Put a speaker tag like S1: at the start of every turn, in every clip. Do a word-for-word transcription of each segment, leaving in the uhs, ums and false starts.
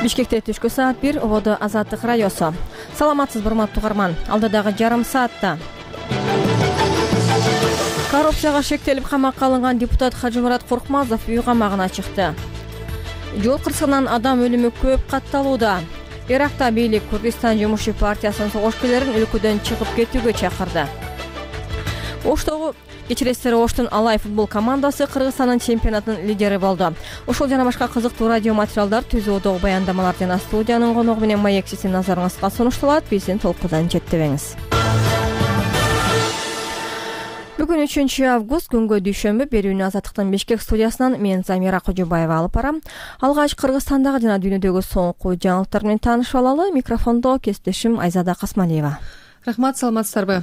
S1: Бишкекте түшкү саат бир, ободо Азаттык радиосу. Саламатсызбы урматтуу угарман. Алдыдагы жарым саатта коррупцияга шектелип камакка алынган депутат Хажымурат Коркмазов үй камагына чыкты. Жол кырсыгынан адам өлүмү көп катталууда. Иракта бийлик Кыргызстан жумушчу партиясынын согушкерлерин өлкөдөн чыгып кетүүгө чакырды. Оштогу кечиресиздер, Оштун Алай футбол командасы Кыргызстандын чемпионатынын лидери болду. Ошол жана башка кызыктуу радио материалдар, түзүүдөгү баяндамалар жана студиянын коногу менен маек сиздин назарыңызга сунушталат. Биздин толкудан четтебеңиз. Бүгүн үчүнчү август, күнгө дүйшөмбү. Берүүнү Азаттыктын Бишкек студиясынан мен Замира Кожобаева алып барам. Алгач Кыргызстандагы жана дүйнөдөгү соңку жаңылыктар менен таанышып алалы. Микрофондо кесиптешим Айзада Касмалиева.
S2: Рахмат, саламатсыздарбы?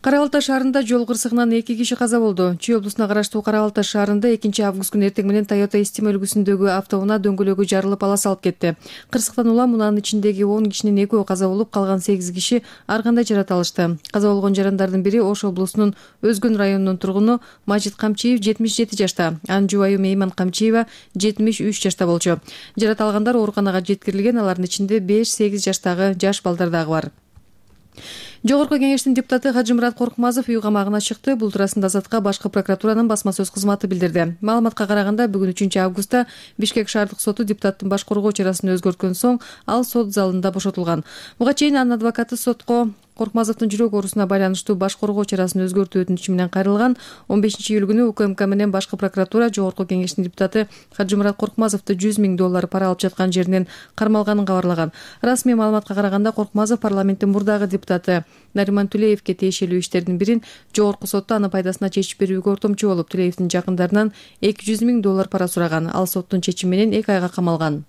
S2: Кара Балта шаарында жол кырсыгынан эки киши каза болду. Чүй облусуна караштуу Кара Балта шаарында экинчи август күнү эртең менен Toyota Estima үлгүсүндөгү автоунаа дөңгөлөгү жарылып ала салып кетти. Кырсыктан улам унанын ичиндеги он кишинин экөө каза болуп, калган сегиз киши ар кандай жаракат алышты. Каза болгон жарандардын бири Ош облусунун Өзгөн районунун тургуну Мажит Камчиев, жетимиш жети жашта. Анын жубайы Мейман Камчиева, жетимиш үч жашта болчу. Жаракат алгандар ооруканага жеткирилген, алардын ичинде беш сегиз жаштагы жаш балдар дагы бар. Жогорку кеңештин депутаты Хажымурат Коркмазов үй камагына чыкты. Бул туурасында Азатка башкы прокуратуранын басма сөз кызматы билдирди. Маалыматка караганда, бүгүн үчүнчү августта Бишкек шаардык соту депутаттын баш коргоо чарасын өзгөрткөн соң ал сот залында бошотулган. Буга чейин анын адвокаты сотко Коркмазовдун жүрөк оорусуна байланыштуу баш коргоо чарасын өзгөртүү өтүнүчү менен кайрылган. он бешинчи июль күнү УКМК менен башкы прокуратура Жогорку кеңештин депутаты Хажымурат Коркмазовду жүз миң доллар пара алып жаткан жеринен кармалганын кабарлаган. Расмий маалыматка караганда, Коркмазов парламенттин мурдагы депутаты Нариман Тулеевке тиешелүү иштердин бирин Жогорку сотто аны пайдасына чечип берүүгө ортомчу болуп, Тулеевдин жакындарынан эки жүз миң доллар пара сураган. Ал соттун чечими менен эки айга камалган.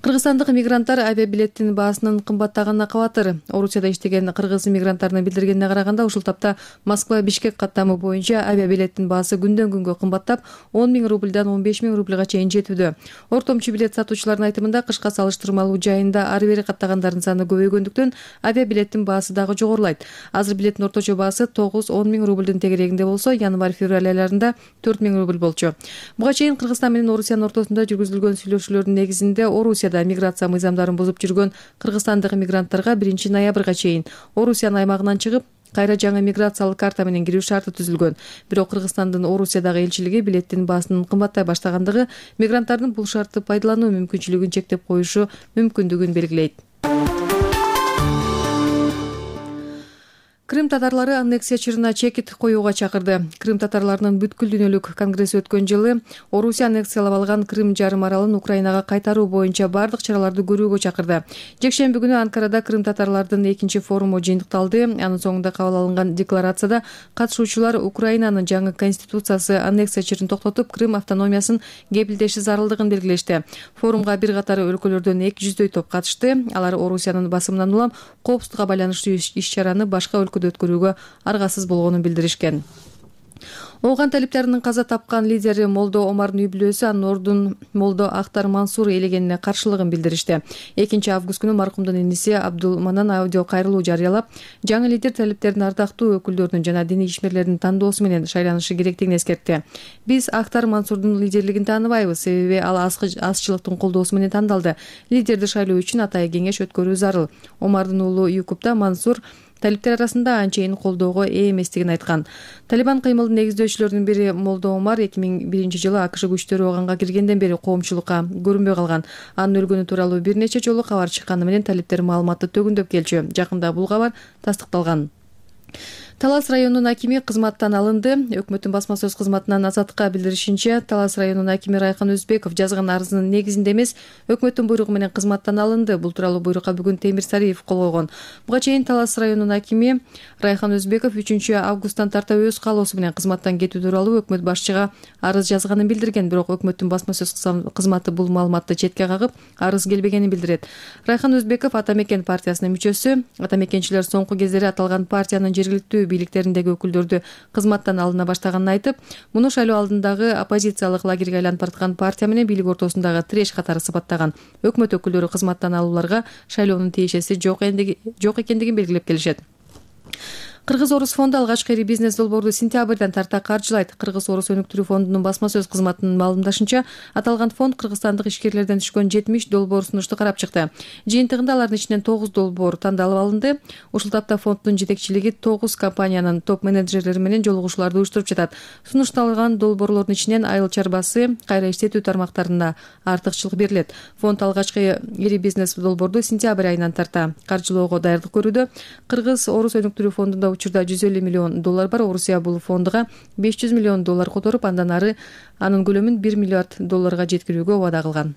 S2: Кыргызстандык мигранттар авиабилеттин баасынын кымбаттаганына кабатыр. Орусияда иштеген кыргыз мигранттарынын билдиргенине караганда, ушул тапта Москва-Бишкек каттамы боюнча авиабилеттин баасы күндөн күнгө кымбаттап, он миң рубльдан он беш миң рубльга чейин жетүүдө. Ортомчу билет сатуучулардын айтымында, кышка салыштырмалуу жайында ары бери каттагандардын саны көбөйгөндүктөн авиабилеттин баасы дагы жогорулайт. Азыр билеттин орточо баасы тогуз он миң рубльдин тегерегинде болсо, январь-февраль айларында төрт миң рубль болчу. Буга чейин Кыргызстан менен Орусиянын ортосунда жүргүзүлгөн сүйлөшүүлөрдүн негизинде Орусияда миграция мыйзамдарын бузуп жүргөн кыргызстандык мигранттарга биринчи ноябрга чейин Орусиянын аймагынан чыгып, кайра жаңы миграциялык карта менен кирүү шарты түзүлгөн. Бирок Кыргызстандын Орусиядагы элчилиги билеттин баасынын кымбаттай баштагандыгы мигранттардын бул шартты пайдалануу мүмкүнчүлүгүн чектеп коюшу мүмкүндүгүн белгилейт. Крым татарлары аннексия чырына чекит коюуга чакырды. Крым татарларынын бүткүл дүйнөлүк конгресси өткөн жылы Орусия аннексиялап алган Крым жарым аралын Украинага кайтаруу боюнча бардык чараларды көрүүгө чакырды. Жекшемби күнү Анкарада Крым татарлардын экинчи форуму жыйынтыкталды. Анын соңунда кабыл алынган декларацияда катышуучулар Украинанын жаңы конституциясы аннексия чырын токтотуп, Крым автономиясын кепилдеши зарылдыгын белгилешти. Форумга бир катары өлкөлөрдөн эки жүздөй топ катышты. Алар Орусиянын басымынан улам коопсуздукка байланыштуу иш-чараны башка өткөрүүгө аргасыз болгонун билдиришкен. Ооган талиптеринин каза тапкан лидери Молдо Омардын үй бүлөсү анын ордун Молдо Ахтар Мансур ээлегенине каршылыгын билдиришти. экинчи август күнү маркумдун иниси Абдул Манан аудио кайрылуу жарыялап, жаңы лидер талиптердин ардактуу өкүлдөрүнүн жана диний ишмерлердин тандоосу менен шайланышы керектигин эскертти. Биз Ахтар Мансурдун лидерлигин тааныбайбыз, себеби ал азчылыктын колдоосу менен тандалды. Лидерди шайлоо үчүн атайын кеңеш өткөрүү зарыл. Омардын уулу Юкупта Мансур талиптер арасында анчейин колдоого ээ эместигин айткан. Талибан кыймылдын негиздөөчүлөрүнүн бири Молдо Омар эки миң биринчи жылы АКШ күчтөрү оганга киргенден бери коомчулукка көрүнбөй калган. Анын өлгөнү тууралуу бир нече жолу кабар чыкканы менен талиптер маалыматты төгүндөп келчү. Жакында бул кабар тастыкталган. Талас районунун акими кызматтан алынды. Өкмөттүн басма сөз кызматынан Азатка билдиришинче, Талас районунун акими Райхан Өзбеков жазган арызынын негизинде эмес, өкмөттүн буйругу менен кызматтан алынды. Бул тууралуу буйрукка бүгүн Темир Сариев кол койгон. Буга чейин Талас районунун акими Райхан Өзбеков үчүнчү августтан тарта өз каалоосу менен кызматтан кетүү тууралуу өкмөт башчыга арыз жазганын билдирген. Бирок өкмөттүн басма сөз кызматы бул маалыматты четке кагып, арыз келбегенин билдирет. Райхан Өзбеков Ата Мекен партиясынын мүчөсү. Ата Мекенчилер соңку кездери аталган партиянын жергиликтүү бийликтериндеги өкүлдөрдү кызматтан алына баштаганын айтып, муну шайлоо алдындагы оппозициялык лагерге айланып бараткан партия менен бийлик ортосундагы тиреш катары сыпаттаган. Өкмөт өкүлдөрү кызматтан алууларга шайлоонун тиешеси жок экендигин белгилеп келишет. Кыргыз-Орус фонду алгачкы ири бизнес долбоорду сентябрдан тарта каржылайт. Кыргыз-Орус өнүктүрүү фондунун басма сөз кызматынын маалымдашынча, аталган фонд кыргызстандык ишкерлерден түшкөн жетимиш долбоор сунушту карап чыкты. Жыйынтыгында алардын ичинен тогуз долбоор тандалып алынды. Ушул тапта фонддун жетекчилиги тогуз компаниянын топ менеджерлери менен жолугушууларды уюштуруп жатат. Сунушталган долбоорлордун ичинен айыл чарбасы, кайра иштетүү тармактарында артыкчылык берилет. Фонд алгачкы ири бизнес долбоорду сентябрь айынан тарта каржылоого даярдык көрүүдө. Кыргыз-Орус өнүктүрүү фондунда учурда жүз элүү миллион доллар бар. Орусия бул фондуга беш жүз миллион доллар которуп, андан ары анын көлөмүн бир миллиард долларга жеткирүүгө убада кылган.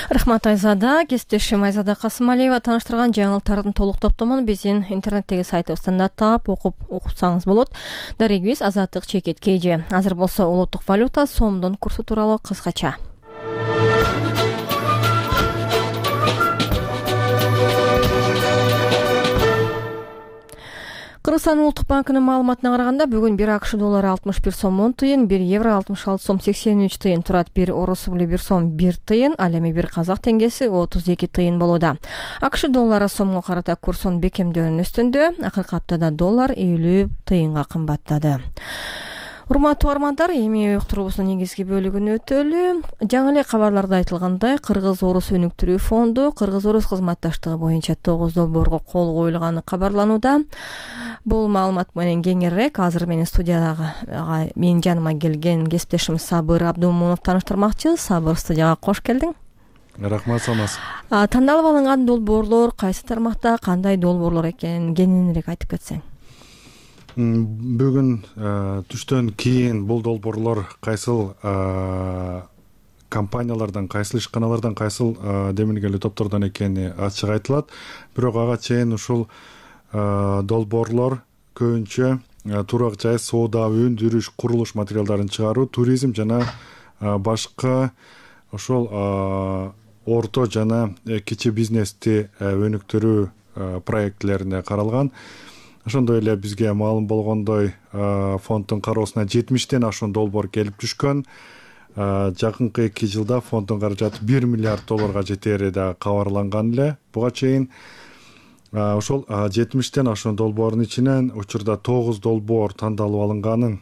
S1: Рахмат Айзада. Кесиптешим Айзада Касымалиева тааныштырган жаңылыктардын толук топтомун биздин интернеттеги сайтыбыздан да таап окуп уксаңыз болот. Дарегибиз Азаттык Чекет Кейжи. Азыр болсо улуттук валюта сомдун курсу тууралуу кыскача. Кыргызстан улуттук банкынын маалыматына караганда, бүгүн бир АКШ доллары алтымыш бир сом он тыйын, бир евро алтымыш алты сом сексен үч тыйын турат, бир орус рубль бир сом бир тыйын, ал эми бир казак теңгеси отуз эки тыйын болууда. АКШ доллары сомго карата курсунун бекемдөөнүн үстүндө, акыркы аптада доллар элүү тыйынга кымбаттады. Урматтуу армандар, эми уктуруубуздун негизги бөлүгүнө өтөлү. Жаңы эле кабарларда айтылгандай, Кыргыз-Орус өнүктүрүү фонду Кыргыз-Орус кызматташтыгы боюнча тогуз долбоорго кол коюлганы кабарланууда. Бул маалымат менен кеңирээк азыр менин студиядагы менин жаныма келген кесиптешим Сабыр Абдумунов тааныштырмакчы. Сабыр, студияга кош келдиң.
S3: Рахмат, саламатсыз.
S1: Тандалып алынган долбоорлор кайсы тармакта, кандай долбоорлор экенин кеңирээк айтып кетсең.
S3: Бүгүн түштөн кийин бул долбоорлор кайсыл компаниялардан, кайсыл ишканалардан, кайсыл демилгелүү топтордон экени ачык айтылат. Бирок ага чейин ушул долбоорлор көбүнчө турак жай, соода, өндүрүш, курулуш материалдарын чыгаруу, туризм жана башка ошол орто жана кичи бизнести өнүктүрүү проектлерине каралган. Ошондой эле бизге маалым болгондой, фонддун кароосуна жетимиштен ашуун долбоор келип түшкөн. Жакынкы эки жылда фонддун каражаты бир миллиард долларга жетери да кабарланган эле. Буга чейин ошол жетимиштен ашуун долбоордун ичинен учурда тогуз долбоор тандалып алынганын,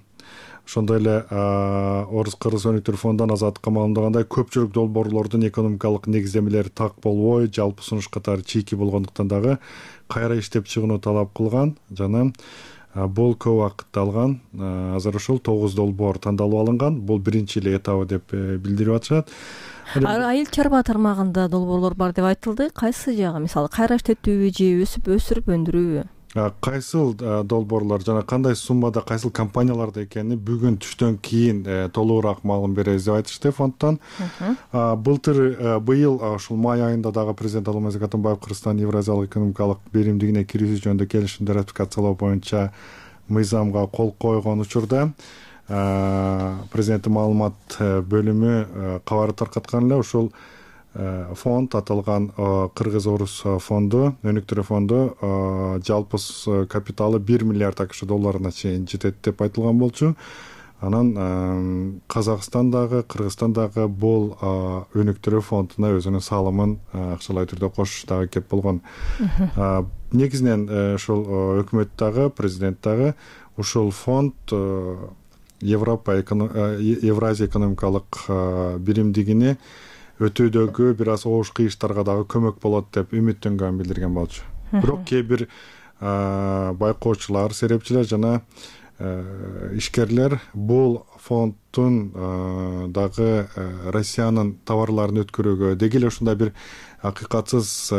S3: ошондой эле Орус-Кыргыз өнүктүрүү фондунан азаттыкка маалымдагандай, көпчүлүк долбоорлордун экономикалык негиздемелери так болбой, жалпы сунуш катары чийки болгондуктан дагы кайра иштеп чыгууну талап кылган жана бул көп убакытты алган. Азыр ушул тогуз долбоор тандалып алынган. Бул биринчи эле этабы деп билдирип атышат.
S1: Айыл чарба тармагында долбоорлор бар деп айтылды. Кайсы жагы, мисалы кайра иштетүүбү же өсүп өсүрүп өндүрүүбү?
S3: Кайсыл долбоорлор жана кандай суммада, кайсыл компанияларда экени бүгүн түштөн кийин толугураак маалым беребиз деп айтышты фонддон. Былтыр быйыл ушул май айында дагы президент Алмазбек Атамбаев Кыргызстан Евразиялык экономикалык беримдигине кирүүсү жөнүндө келишимди ратификациялоо боюнча мыйзамга кол койгон учурда президенттин маалымат бөлүмү кабар таркаткан эле. Ушул фонд, аталган Кыргыз-Орус фонду, өнүктүрүү фонду жалпы капиталы бир миллиард АКШ долларына чейин жетет деп айтылган болчу. Анан Казакстандагы, Кыргызстандагы бул өнүктүрүү фондуна өзүнүн салымын акчалай түрдө кошуш дагы кеп болгон. Негизинен ушул өкмөт дагы, президент дагы ушул фонд Европа Евразия экономикалык биримдигини өтүүдөгү бир аз оош кыйыштарга дагы көмөк болот деп үмүттөнгөнүн билдирген болчу. Бирок кээ бир байкоочулар, серепчилер жана ишкерлер бул фонддун дагы Россиянын товарларын өткөрүүгө, деги эле ушундай бир акыйкатсыз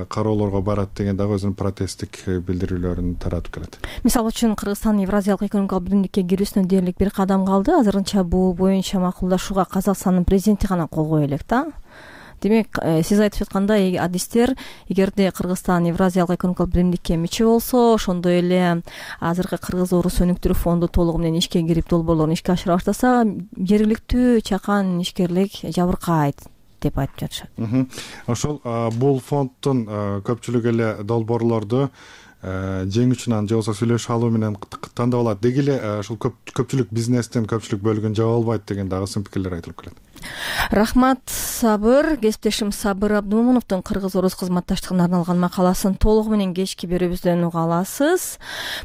S3: кароолорго барат деген дагы өзүнүн протесттик билдирүүлөрүн таратып келет.
S1: Мисалы үчүн Кыргызстан Евразиялык экономикалык биримдикке кирүүсүнө дээрлик бир кадам калды. Азырынча бул боюнча макулдашууга Казакстандын президенти гана кол кое элек да. Демек, сиз айтып жаткандай, адистер эгерде Кыргызстан Евразиялык экономикалык биримдикке мүчө болсо, ошондой эле азыркы Кыргыз-Орус өнүктүрүү фонду толугу менен ишке кирип долбоорлорун ишке ашыра баштаса, жергиликтүү чакан ишкерлик жабыркайт деп айтып жатышат.
S3: Ошол бул фонддун көпчүлүгү эле долбоорлорду жеңүүчүнөн же болбосо сүйлөшүп алуу менен тандап алат. Деги эле ушул көпчүлүк бизнестин көпчүлүк бөлүгүн жаба албайт деген дагы сын пикирлер айтылып келет.
S1: Рахмат, Сабыр. Кесиптешим Сабыр Абдумомуновдун кыргыз-орус кызматташтыгына арналган макаласын толугу менен кечки берүүбүздөн уга аласыз.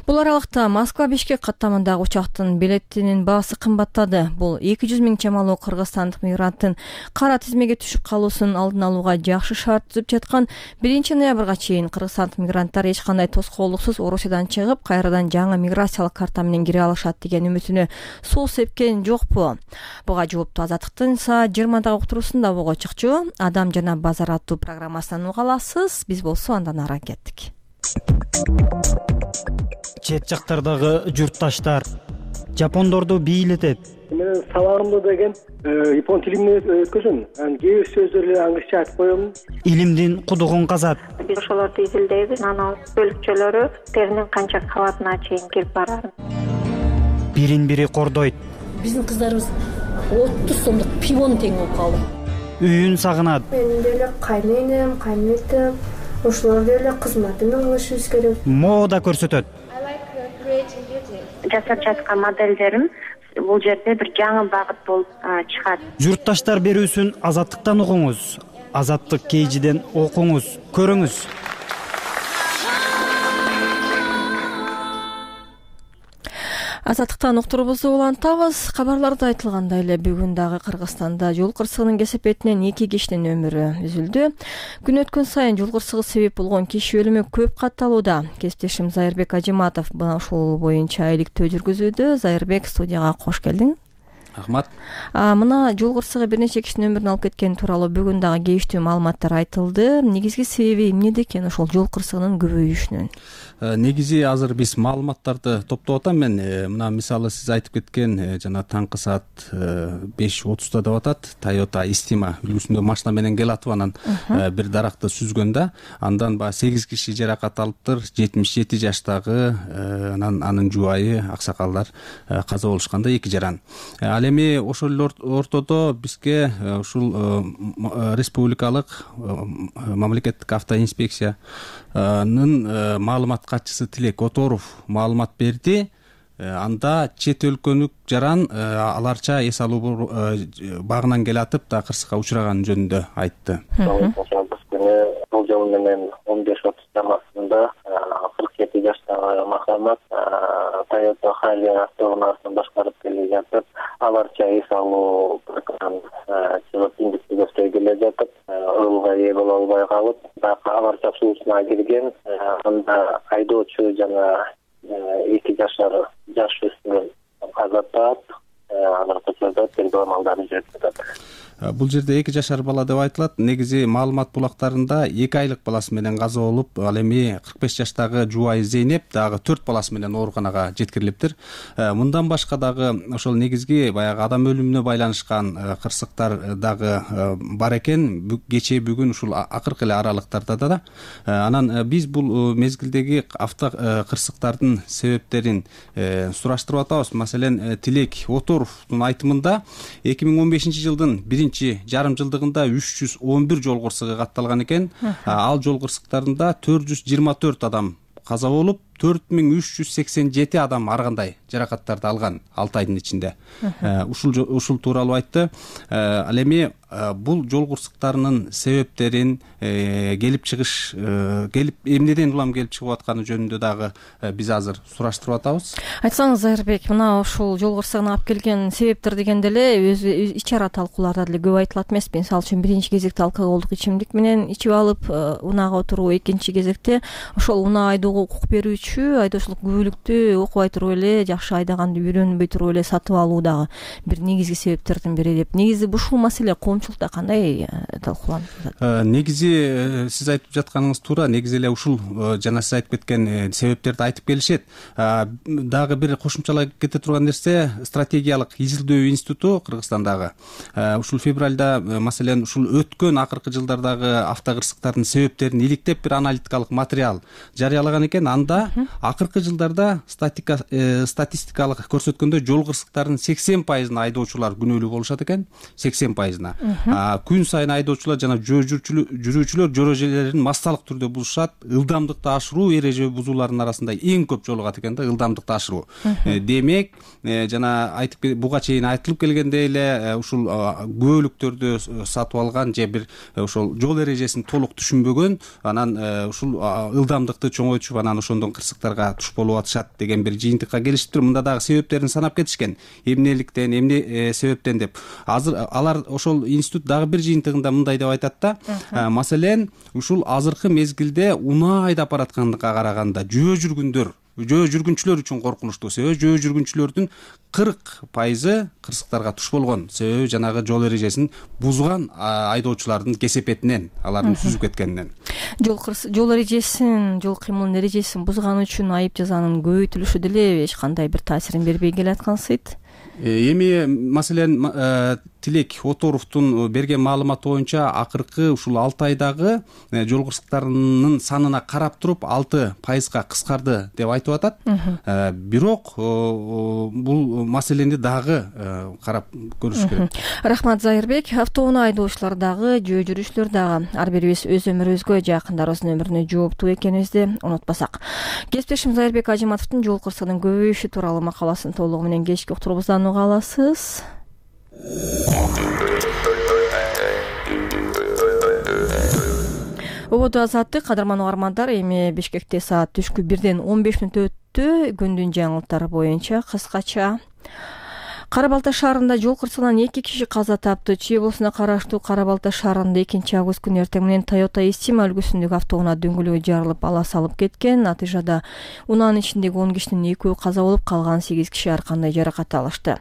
S1: Бул аралыкта Москва Бишкек каттамындагы учактын билетинин баасы кымбаттады. Бул эки жүз миң чамалуу кыргызстандык мигранттын кара тизмеге түшүп калуусун алдын алууга жакшы шарт түзүп жаткан. биринчи ноябрга чейин кыргызстандык мигранттар эч кандай тоскоолдуксуз Орусиядан чыгып, кайрадан жаңы миграциялык карта менен кире алышат деген үмүтүнө суу сепкен жокпу? Буга жоопту Азаттыктын саат жыйырмадагы уктуруусунда буга чыкчу Адам жана базар аттуу программасынан уга аласыз. Биз болсо андан ары кеттик.
S4: Чет жактардагы журтташтар жапондорду бийлетет.
S5: Мен сабагымда деген япон тилинен өткөзөм. Анан кээ бир сөздөрдү англисче айтып коем.
S4: Илимдин кудугун казат.
S6: Биз ошолорду изилдейбиз. Анан бөлүкчөлөрү теринин канча кабатына чейин кирип барат.
S4: Бирин-бири кордойт.
S7: Биздин кыздарыбыз отуз сомдук пивону тең болуп калды.
S4: Үйүн сагынат.
S8: Менин деле кайненем, кайнетем, ошолор деле кызматымды кылышыбыз керек.
S4: Мода көрсөтөт.
S6: Жасап жаткан моделдерим бул жерде бир жаңы багыт болуп чыгат.
S4: Журтташтар берүүсүн Азаттыктан угуңуз. Азаттык кейжиден окуңуз, көрүңүз.
S1: Азаттыктан уктуруубузду улантабыз. Кабарларда айтылгандай эле бүгүн дагы Кыргызстанда жол кырсыгынын кесепетинен эки кишинин өмүрү үзүлдү. Күн өткөн сайын жол кырсыгы себеп болгон киши өлүмү көп катталууда. Кесиптешим Зайырбек Ажиматов мына ушул боюнча иликтөө жүргүзүүдө. Зайырбек, студияга кош келдиң.
S9: Рахмат.
S1: Мына жол кырсыгы бир нече кишинин өмүрүн алып кеткени тууралуу бүгүн дагы кейиштүү маалыматтар айтылды. Негизги себеби эмнеде экен ошол жол кырсыгынын көбөйүшүнүн?
S9: Негизи азыр биз маалыматтарды топтоп атам мен. Мына мисалы сиз айтып кеткен жана таңкы саат беш отузда деп атат. Toyota Estima үлгүсүндө машина менен келатып анан бир даракты сүзгөн да. Андан баягы сегиз киши жаракат алыптыр. жетимиш жети жаштагы анан анын жубайы, аксакалдар каза болушканда эки жаран. Ал эми ошол ортодо бизге ушул республикалык мамлекеттик автоинспекциянын маалымат катчысы Тилек Оторов маалымат берди. Анда чет өлкөлүк жаран аларча эс алуу багынан келатып да кырсыкка учураганы жөнүндө айтты.
S5: Бул жол менен он беш отуз чамасында кырк жети жаштагы Махамат Toyota Hilux автоунаасын башкарып келе жатып, аларча эс алуу чыгып индикти көздөй келе жатып, ылга ээ боло албай калып, аларча суусуна кирген. Анда айдоочу жана эки жашар жаш өспүрүм каза тапат. Алар көчөдө тергөө амалдары жүрүп жатат.
S9: Бул жерде эки жашар бала деп айтылат. Негизи маалымат булактарында эки айлык баласы менен каза болуп, ал эми кырк беш жаштагы жубайы Зейнеп дагы төрт баласы менен ооруканага жеткирилиптир. Мындан башка дагы ошол негизги баягы адам өлүмүнө байланышкан кырсыктар дагы бар экен. Кечээ бүгүн ушул акыркы эле аралыктарда да. Анан биз бул мезгилдеги авто кырсыктардын себептерин сураштырып атабыз. Маселен, Тилек Оторовдун айтымында эки миң он бешинчи жылдын биринчи жарым жылдыгында үч жүз он бир жол кырсыгы катталган экен. Ал жол кырсыктарында төрт жүз жыйырма төрт адам каза болуп, төрт миң үч жүз сексен жети адам ар кандай жаракаттарды алган алты айдын ичинде. Ушул ушул тууралуу айтты. Ал эми бул жол кырсыктарынын себептерин, келип чыгыш, келип эмнеден улам келип чыгып атканы жөнүндө дагы биз азыр сураштырып атабыз.
S1: Айтсаңыз, Зайырбек, мына ушул жол кырсыгына алып келген себептер дегенде эле өзү ич ара талкууларда деле көп айтылат эмеспи? Мисалы үчүн биринчи кезекте алкоголдук ичимдик менен ичип алып унаага отуруу, экинчи кезекте ошол унаа айдоого укук берүүчү айдоочулук күбөлүктү окубай туруп эле, жакшы айдаганды үйрөнбөй туруп эле сатып алуу дагы бир негизги себептердин бири деп. Негизи ушул маселе коомчулукта кандай талкууланып жатат?
S9: Негизи сиз айтып жатканыңыз туура. Негизи эле ушул жана сиз айтып кеткен себептерди айтып келишет. Дагы бир кошумчалай кете турган нерсе, стратегиялык изилдөө институту Кыргызстандагы ушул февралда, маселен, ушул өткөн акыркы жылдардагы автокырсыктардын себептерин иликтеп бир аналитикалык материал жарыялаган экен. Анда акыркы жылдарда статистикалык көрсөткөндө жол кырсыктарынын сексен пайызына айдоочулар күнөөлүү болушат экен, сексен пайызына. Күн сайын айдоочулар жана жүрүүчүлөр жол эрежелерин массалык түрдө бузушат. Ылдамдыкты ашыруу эреже бузууларынын арасында эң көп жолугат экен да, ылдамдыкты ашыруу. Демек, жана айтып буга чейин айтылып келгендей эле, ушул көлүктөрдү сатып алган же бир ошол жол эрежесин толук түшүнбөгөн, анан ушул ылдамдыкты чоңойтушуп, анан ошондон кырсыктарга туш болуп атышат деген бир жыйынтыкка келишиптир. Мында дагы себептерин санап кетишкен. Эмнеликтен, эмне себептен деп. Азыр алар ошол институт дагы бир жыйынтыгында мындай деп айтат да. Маселен, ушул азыркы мезгилде унаа айдап баратканга караганда жөө жүргүндөр жөө жүргүнчүлөр үчүн коркунучтуу. Себеби жөө жүргүнчүлөрдүн кырк пайызы кырсыктарга туш болгон. Себеби жанагы жол эрежесин бузган айдоочулардын кесепетинен, алардын сүзүп кеткенинен.
S1: Жол жол эрежесин, жол кыймылынын эрежесин бузган үчүн айып жазанын көбөйтүлүшү деле эч кандай бир таасирин бербей келаткансыйт.
S9: Эми маселен Тилек Оторовдун берген маалыматы боюнча акыркы ушул алты айдагы жол кырсыктарынын санына карап туруп алты пайызга кыскарды деп айтып атат. Бирок бул маселени дагы карап көрүш керек.
S1: Рахмат, Зайырбек. Автоунаа айдоочулар дагы, жөө жүрүүчүлөр дагы ар бирибиз өз өмүрүбүзгө, жакындарыбыздын өмүрүнө жооптуу экенибизди унутпасак. Кесиптешим Зайырбек Ажиматовдун жол кырсыгынын көбөйүшү тууралуу макаласын толугу менен кечки уктурубуздан уга аласыз. Ободо азаттык кадырман угармандар, эми Бишкекте саат түшкү бирден он беш мүнөт өттү. Күндүн жаңылыктары боюнча кыскача. Кара Балта шаарында жол кырсыгынан эки киши каза тапты. Чүй облусуна караштуу Кара Балта шаарында экинчи август күнү эртең менен Toyota Estima үлгүсүндөгү автоунаа дөңгөлөгү жарылып, ала салып кеткен. Натыйжада унаанын ичиндеги он кишинин экөө каза болуп, калган сегиз киши ар кандай жаракат алышты.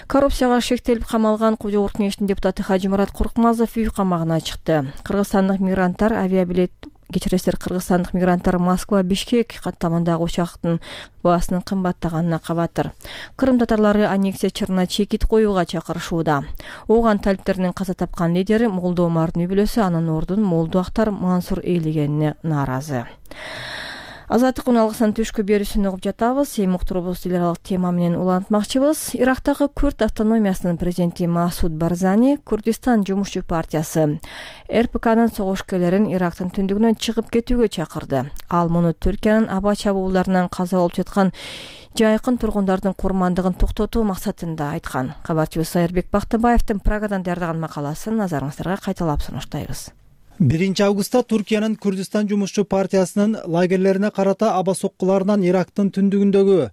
S1: Коррупцияга шектелип камалган Куу Жогорку Кеңештин депутаты Хажымурат Коркмазов үй камагына чыкты. Кыргызстандык мигранттар авиабилет Кечиресиздер, кыргызстандык мигранттар Москва Бишкек каттамындагы учактын баасынын кымбаттаганына кабатыр. Кырым татарлары аннексия чырына чекит коюуга чакырышууда. Ооган талиптеринин каза тапкан лидери Молдо Омардын үй бүлөсү анын ордун Молдо Актар Мансур ээлегенине нааразы. Азаттык уналгысынын түшкү берүүсүн угуп жатабыз. Эми уктурубуз дилералык тема менен улантмакчыбыз. Ирактагы Күрд автономиясынын президенти Масуд Барзани Курдистан жумушчу партиясы эр пэ канын согушкерлерин Ирактын түндүгүнөн чыгып кетүүгө чакырды. Ал муну Түркиянын аба чабуулдарынан каза болуп жаткан жайкын тургундардын курмандыгын токтотуу максатында айткан. Кабарчыбыз Сайырбек Бактыбаевдин Прагадан даярдаган макаласын назарыңыздарга кайталап сунуштайбыз.
S10: биринчи августта Түркиянын Курдистан жумушчу партиясынын лагерлерине карата аба соккуларынан Ирактын түндүгүндөгү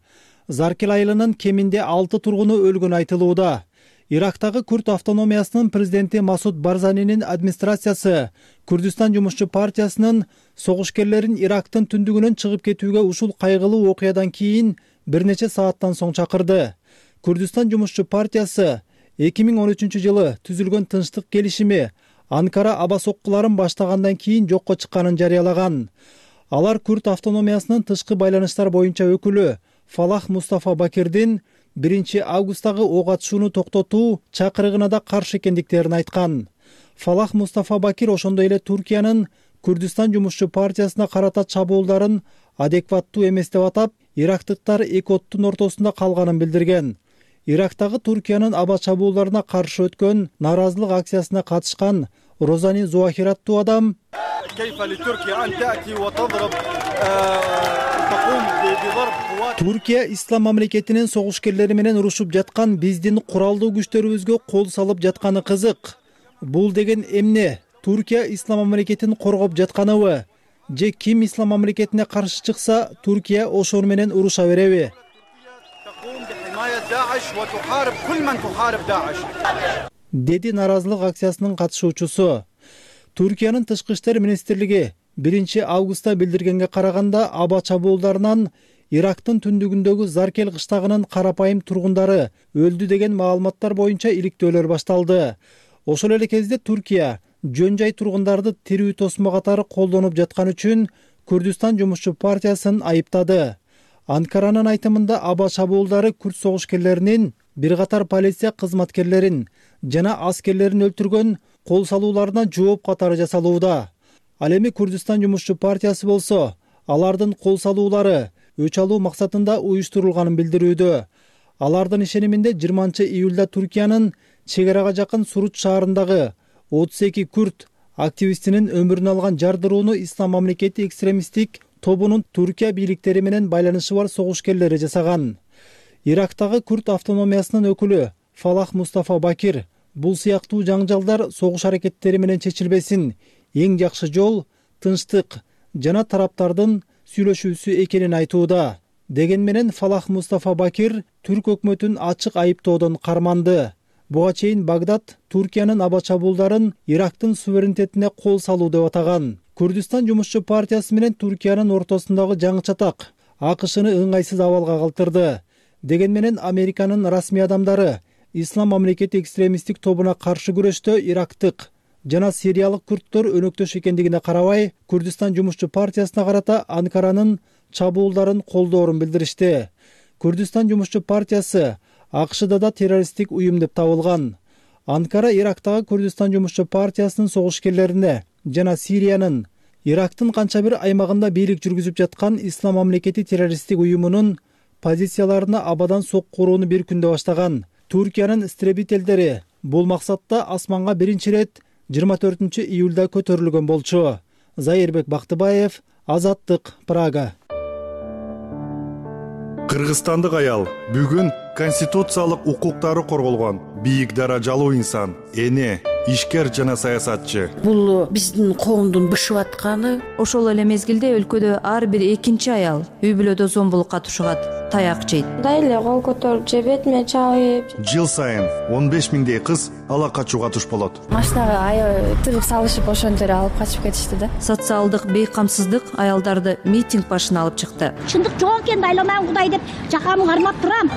S10: Заркел айылынын кеминде алты тургуну өлгөнү айтылууда. Ирактагы Күрд автономиясынын президенти Масуд Барзанинин администрациясы Курдистан жумушчу партиясынын согушкерлерин Ирактын түндүгүнөн чыгып кетүүгө ушул кайгылуу окуядан кийин бир нече сааттан соң чакырды. Курдистан жумушчу партиясы эки миң он үчүнчү жылы түзүлгөн тынчтык келишими Анкара аба соккуларын баштагандан кийин жокко чыкканын жарыялаган. Алар Күрд автономиясынын тышкы байланыштар боюнча өкүлү Фалах Мустафа Бакирдин биринчи августтагы ок атышууну токтотуу чакырыгына да каршы экендиктерин айткан. Фалах Мустафа Бакир ошондой эле Түркиянын Курдистан жумушчу партиясына карата чабуулдарын адекваттуу эмес деп атап, ирактыктар эки оттун ортосунда калганын билдирген. Ирактагы Түркиянын аба чабуулдарына каршы өткөн нааразылык акциясына катышкан Розани Зуахир аттуу адам Түркия ислам мамлекетинин согушкерлери менен урушуп жаткан биздин куралдуу күчтөрүбүзгө кол салып жатканы кызык. Бул деген эмне? Түркия ислам мамлекетин коргоп жатканыбы? Же ким ислам мамлекетине каршы чыкса, Түркия ошону менен уруша береби? Деди нааразылык акциясынын катышуучусу. Түркиянын тышкы иштер министрлиги биринчи августта билдиргенге караганда аба чабуулдарынан Ирактын түндүгүндөгү Заркел кыштагынын карапайым тургундары өлдү деген маалыматтар боюнча иликтөөлөр башталды. Ошол эле кезде Түркия жөн жай тургундарды тирүү тосмо катары колдонуп жаткан үчүн Курдистан жумушчу партиясын айыптады. Анкаранын айтымында аба чабуулдары Күрд согушкерлеринин бир катар полиция кызматкерлерин жана аскерлерин өлтүргөн кол салууларына жооп катары жасалууда. Ал эми Курдистан жумушчу партиясы болсо, алардын кол салуулары өч алуу максатында уюштурулганын билдирүүдө. Алардын ишениминде жыйырманчы июлда Туркиянын чек арага жакын Суруч шаарындагы отуз эки күрд активистинин өмүрүн алган жардырууну Ислам мамлекети экстремисттик тобунун Туркия бийликтери менен байланышы бар согушкерлери жасаган. Ирактагы күрд автономиясынын өкүлү Фалах Мустафа Бакир бул сыяктуу жаңжалдар согуш аракеттери менен чечилбесин эң жакшы жол тынчтык жана тараптардын сүйлөшүүсү экенин айтууда. Деген менен Фалах Мустафа Бакир түрк өкмөтүн ачык айыптоодон карманды. Буга чейин Багдад Туркиянын аба чабуулдарын Ирактын суверенитетине кол салуу деп атаган. Күрдистан жумушчу партиясы менен Туркиянын ортосундагы жаңы чатак АКШны ыңгайсыз абалга калтырды. Деген менен Американын расмий адамдары Ислам мамлекети экстремисттик тобуна каршы күрөштө ирактык жана сириялык күрдтөр өнөктөш экендигине карабай, Күрдистан жумушчу партиясына карата Анкаранын чабуулдарын колдоорун билдиришти. Күрдистан жумушчу партиясы АКШда да террористтик уюм деп табылган. Анкара Ирактагы Күрдистан жумушчу партиясынын согушкерлерине жана Сириянын Ирактын канча бир аймагында бийлик жүргүзүп жаткан Ислам мамлекети террористтик уюмунун позицияларына абадан сокку урууну бир күндө баштаган. Туркиянын истребителдери бул максатта асманга биринчи ирет жыйырма төртүнчү июлда көтөрүлгөн болчу. Зайырбек Бактыбаев, Азаттык, Прага.
S3: Кыргызстандык аял бүгүн конституциялык укуктары корголгон бийик даражалуу инсан, эне, ишкер жана саясатчы.
S11: Бул биздин коомдун бышып атканы.
S12: Ошол эле мезгилде өлкөдө ар бир экинчи аял үй бүлөдө зомбулукка тушугат, таяк жейт.
S8: Дайле кол көтөрүп же бетиме чабып.
S3: Жыл сайын он беш миңдей кыз ала качууга туш болот.
S8: Машинага аял тыгып салышып ошентип эле алып качып кетишти да.
S12: Социалдык бейкамсыздык аялдарды митинг башына алып чыкты.
S13: Чындык жок экен, дайламайм Кудай деп жакамды кармап турам.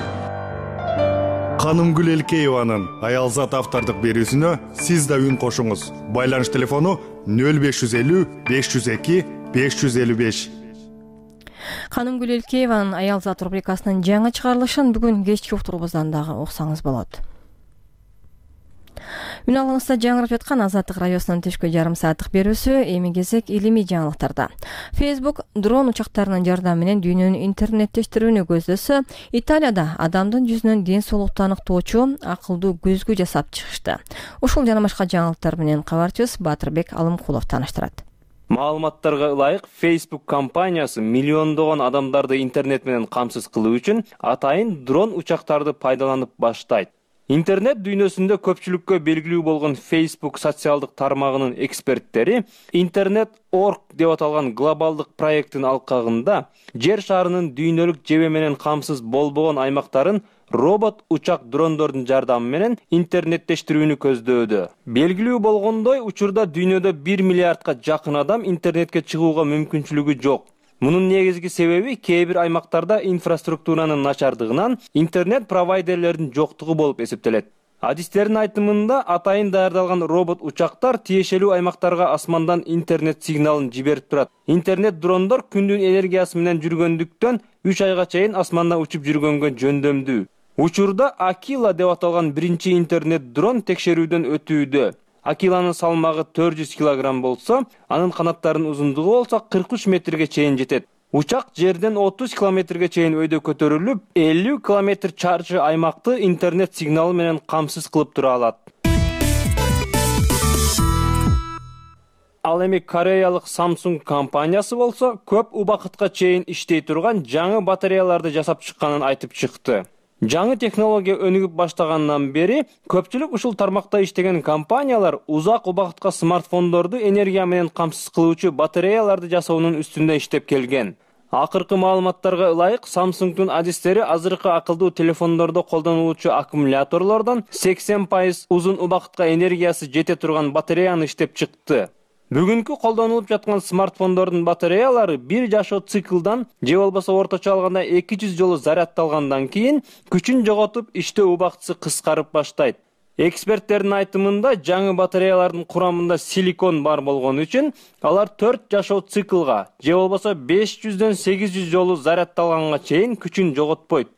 S3: Канымгүл Элкееванын Аялзат автордук берүүсүнө сиз да үн кошуңуз. Байланыш телефону нөл беш жүз элүү беш жүз эки беш жүз элүү беш.
S1: Канымгүл Элкееванын Аялзат рубрикасынын жаңы чыгарылышын бүгүн кечки уктурубуздан дагы уксаңыз болот. Үн алыңызда жаңырап жаткан Азаттык радиосунун түшкү жарым сааттык берүүсү эми кезек илимий жаңылыктарда. Facebook дрон учактарынын жардамы менен дүйнөнү интернеттештирүүнү көздөсө, Италияда адамдын жүзүнөн ден соолукту аныктоочу акылдуу көзгү жасап чыгышты. Ушул жана башка жаңылыктар менен кабарчыбыз Батырбек Алымкулов тааныштырат.
S14: Маалыматтарга ылайык, Facebook компаниясы миллиондогон адамдарды интернет менен камсыз кылуу үчүн атайын дрон учактарды пайдаланып баштайт. Интернет дүйнөсүндө көпчүлүккө белгилүү болгон Facebook социалдык тармагынын эксперттери интернет точка орг деп аталган глобалдык проекттин алкагында жер шарынын дүйнөлүк жебе менен камсыз болбогон аймактарын робот учак дрондордун жардамы менен интернеттештирүүнү көздөдө. Белгилүү болгондой, учурда дүйнөдө бир миллиардка жакын адам интернетке чыгууга мүмкүнчүлүгү жок. Мунун негизги себеби кээ бир аймактарда инфраструктуранын начардыгынан интернет провайдерлердин жоктугу болуп эсептелет. Адистердин айтымында атайын даярдалган робот учактар тиешелүү аймактарга асмандан интернет сигналын жиберип турат. Интернет дрондор күндүн энергиясы менен жүргөндүктөн үч айга чейин асманда учуп жүргөнгө жөндөмдүү. Учурда Акила деп аталган биринчи интернет дрон текшерүүдөн өтүүдө. Акиланын салмагы төрт жүз килограмм болсо, анын канаттарынын узундугу болсо кырк үч метрге чейин жетет. Учак жерден отуз километрге чейин өйдө көтөрүлүп, элүү километр чарчы аймакты интернет сигналы менен камсыз кылып тура алат. Ал эми кореялык Samsung компаниясы болсо, көп убакытка чейин иштей турган жаңы батареяларды жасап чыкканын айтып чыкты. Жаңы технология өнүгүп баштагандан бери көпчүлүк ушул тармакта иштеген компаниялар узак убакытка смартфондорду энергия менен камсыз кылуучу батареяларды жасоонун үстүндө иштеп келген. Акыркы маалыматтарга ылайык, Samsung'дун адистери азыркы акылдуу телефондордо колдонулуучу аккумуляторлордон сексен пайыз узун убакытка энергиясы жете турган батареяны иштеп чыкты. Бүгүнкү колдонулуп жаткан смартфондордун батареялары бир жашоо циклдан же болбосо орточо алганда эки жүз жолу зарядталгандан кийин күчүн жоготуп, иштөө убактысы кыскарып баштайт. Эксперттердин айтымында, жаңы батареялардын курамында силикон бар болгон үчүн алар төрт жашоо циклга же болбосо беш жүздөн сегиз жүз жолу зарядталганга чейин күчүн жоготпойт.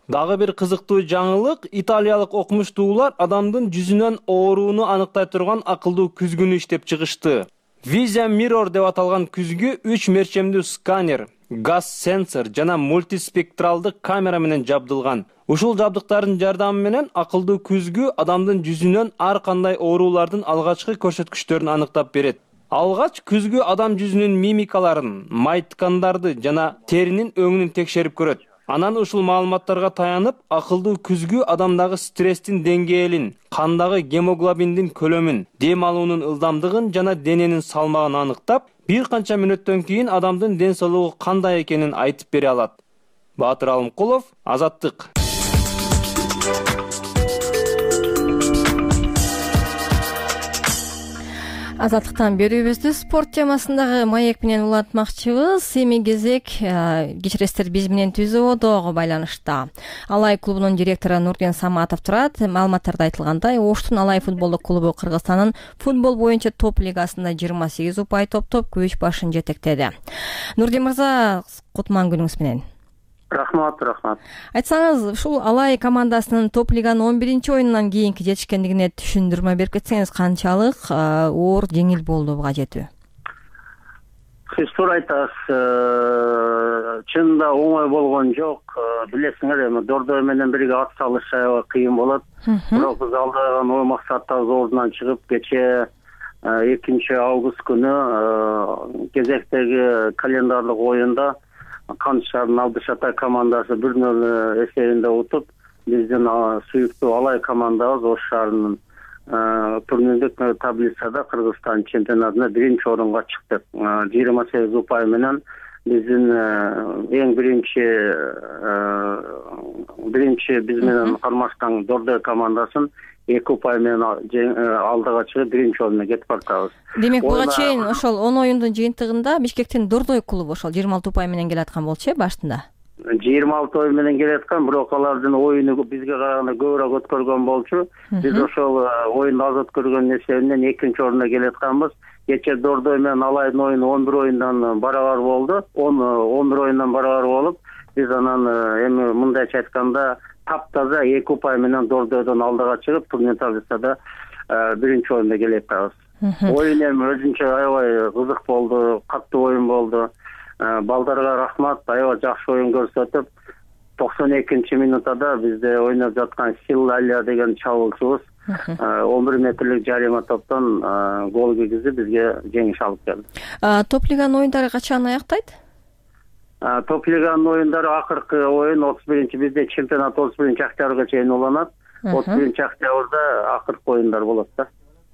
S14: Дагы бир кызыктуу жаңылык, италиялык окумуштуулар адамдын жүзүнөн ооруну аныктай турган акылдуу күзгүнү иштеп чыгышты. Vision Mirror деп аталган күзгү үч мерчемдүү сканер, газ сенсор жана мультиспектралдык камера менен жабдылган. Ушул жабдыктардын жардамы менен акылдуу күзгү адамдын жүзүнөн ар кандай оорулардын алгачкы көрсөткүчтөрүн аныктап берет. Алгач күзгү адам жүзүнүн мимикаларын, май ткандарды жана теринин өңүнүн текшерип көрөт. Анан ушул маалыматтарга таянып, акылдуу күзгү адамдагы стресстин деңгээлин, кандагы гемоглобиндин көлөмүн, дем алуунун ылдамдыгын жана дененин салмагын аныктап, бир канча мүнөттөн кийин адамдын ден соолугу кандай экенин айтып бере алат. Баатыр Алымкулов, Азаттык.
S1: Азаттыктан берүүбүздү спорт темасындагы маек менен улантмакчыбыз. Эми кезек кечиресиздер биз менен түзүү дагы байланышта. Алай клубунун директору Нурден Саматов турат. Маалыматтарда айтылгандай, Оштун Алай футболдук клубу Кыргызстандын футбол боюнча топ лигасында жыйырма сегиз упай топтоп көч башын жетектеди. Нурден мырза, кутман күнүңүз менен.
S15: Рахмат, рахмат.
S1: Айтсаңыз, ушул Алай командасынын топ лиганын он биринчи оюнунан кийинки жетишкендигине түшүндүрмө берип кетсеңиз, канчалык оор, жеңил болду буга жетүү?
S15: Сиз туура айтасыз. Чынында оңой болгон жок. Билесиңер, эми Дордой менен бирге ат салыш аябай кыйын болот. Бирок биз алдаган ой максаттарыбыз ордунан чыгып, кечээ экинчи август күнү кезектеги календарлык оюнда Кандж шаарынын Алдышатай командасы бир нөл эсебинде утуп, биздин сүйүктүү Алай командабыз Ош шаарынын турнирлик таблицада Кыргызстан чемпионатында биринчи орунга чыкты. жыйырма сегиз упай менен биздин эң биринчи биринчи биз менен кармашкан Дордой командасын эки упай менен алдыга чыгып биринчи орунга кетип баратабыз.
S1: Демек, буга чейин ошол он оюндун жыйынтыгында Бишкектин Дордой клубу ошол жыйырма алты упай менен келаткан болчу э башында?
S15: жыйырма алты ой менен келаткан, бирок алардын оюну бизге караганда көбүрөөк өткөргөн болчу. Биз ошол оюнду аз өткөргөн эсебинен экинчи орунга келатканбыз. Кечээ Дордой менен Алайдын оюну он бир оюндан барабар болду. он бир оюндан барабар болуп, биз анан эми мындайча айтканда таптаза эки упай менен Дордойдон алдыга чыгып, турнир таблицада биринчи орунда келе жатабыз. Оюн эми өзүнчө аябай кызык болду, каттуу оюн болду. Балдарга рахмат, аябай жакшы оюн көрсөтүп, токсон экинчи минутада бизде ойноп жаткан Силалия деген чабуулчубуз он бир метрлик жарыма топтон гол киргизип бизге жеңиш алып келди.
S1: Топ лиганын оюндары качан аяктайт?
S15: Топ лиганын оюндары акыркы оюн отуз биринчи бизде чемпионат отуз биринчи октябрга чейин уланат. отуз биринчи октябрда акыркы оюндар болот да.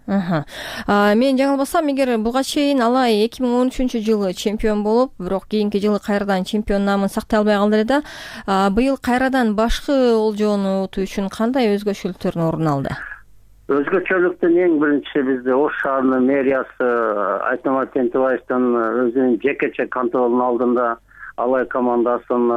S1: Мен жаңылбасам, эгер буга чейин Алай эки миң он үчүнчү жылы чемпион болуп, бирок кийинки жылы кайрадан чемпион намын сактай албай калды эле да. Быйыл кайрадан башкы олжоону утуу үчүн кандай өзгөчөлүктөр орун алды?
S15: Өзгөчөлүктүн эң биринчиси бизде Ош шаарынын мэриясы Айтмамат Тентибаевдин өзүнүн жекече контролунун алдында Алай командасын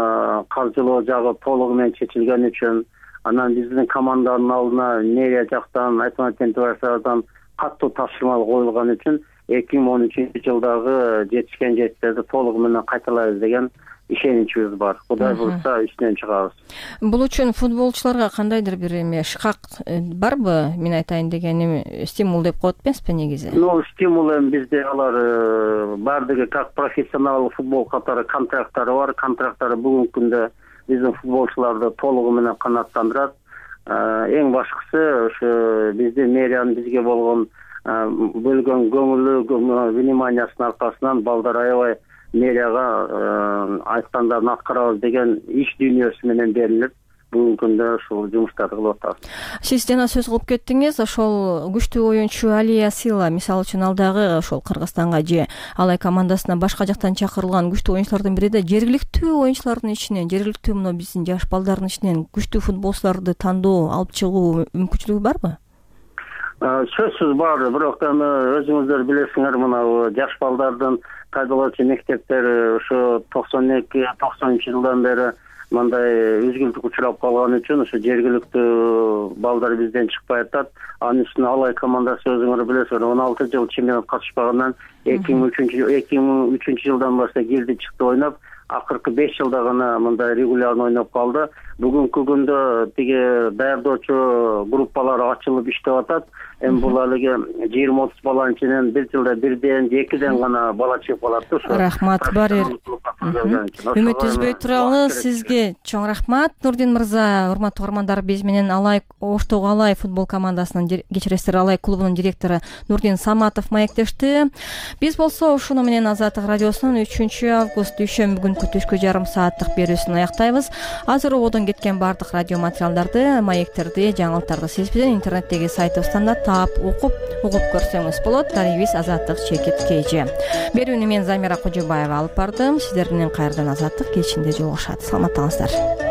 S15: каржылоо жагы толугу менен чечилген үчүн, анан биздин команданын алдына мэрия жактан Айтмамат Тентибаевден каттуу тапшырма коюлган үчүн эки миң он үчүнчү жылдагы жетишкен жетиштерди толугу менен кайталайбыз деген ишеничибиз бар. Кудай буйрса үстүнөн чыгабыз.
S1: Бул үчүн футболчуларга кандайдыр бир эме шкак барбы? Мен айтайын дегеним, стимул деп коет эмеспи негизи?
S15: Ну, стимул эми бизде алар баардыгы как профессионал футбол катары контракттары бар. Контракттары бүгүнкү күндө биздин футболчуларды толугу менен канааттандырат. Эң башкысы ошо биздин мэриянын бизге болгон бөлгөн көңүлү, вниманиясынын аркасынан балдар аябай мэрияга айткандарын аткарабыз деген иш дүйнөсү менен берилип, бүгүнкү күндө ушул жумуштарды кылып атабыз.
S1: Сиз жана сөз кылып кеттиңиз, ошол күчтүү оюнчу Алия Сила, мисалы үчүн алдагы ошол Кыргызстанга же Алай командасына башка жактан чакырылган күчтүү оюнчулардын бири да жергиликтүү оюнчулардын ичинен, жергиликтүү мына биздин жаш балдардын ичинен күчтүү футболчуларды тандоо, алып чыгуу мүмкүнчүлүгү барбы?
S15: Сөзсүз бар, бирок эми өзүңүздөр билесиңер, мына жаш балдардын кайдалоочу мектептери ошо токсон эки токсонунчу жылдан бери мындай үзгүлтүк учурап калган үчүн ошо жергиликтүү балдар бизден чыкпай атат. Анын үстүнө Алай командасы өзүңөр билесиңер, он алты жыл чемпионат катышпагандан эки миң үчүнчү жылдан баштап кирди чыкты ойноп, акыркы беш жылда гана мындай регулярно ойноп калды. бүгүнкү күндө тиги даярдоочу группалар ачылып иштеп атат. Эми бул алиги жыйырма отуз баланын ичинен бир жылда бирден же экиден гана бала чыгып калат да. Ошо
S1: рахмат барер. Үмүт үзбөй туралы сизге чоң рахмат Нурдин мырза. Урматтуу угармандар, биз менен Алай Оштогу Алай футбол командасынын кечиресиздер Алай клубунун директору Нурдин Саматов маектешти. Биз болсо ушуну менен Азаттык радиосунун үчүнчү август дүйшөмбү күнкү түшкү жарым сааттык берүүсүн аяктайбыз. Азыр ободон кеткен бардык радио материалдарды, маектерди, жаңылыктарды сиз биздин интернеттеги сайтыбыздан да таап, окуп, угуп көрсөңүз болот. Дарибиз Азаттык чекит Кж. Берүүнү мен Замира Кожобаева алып бардым. Сиздер менен кайрадан Азаттык кечинде жолугушат. Саламаттаңыздар.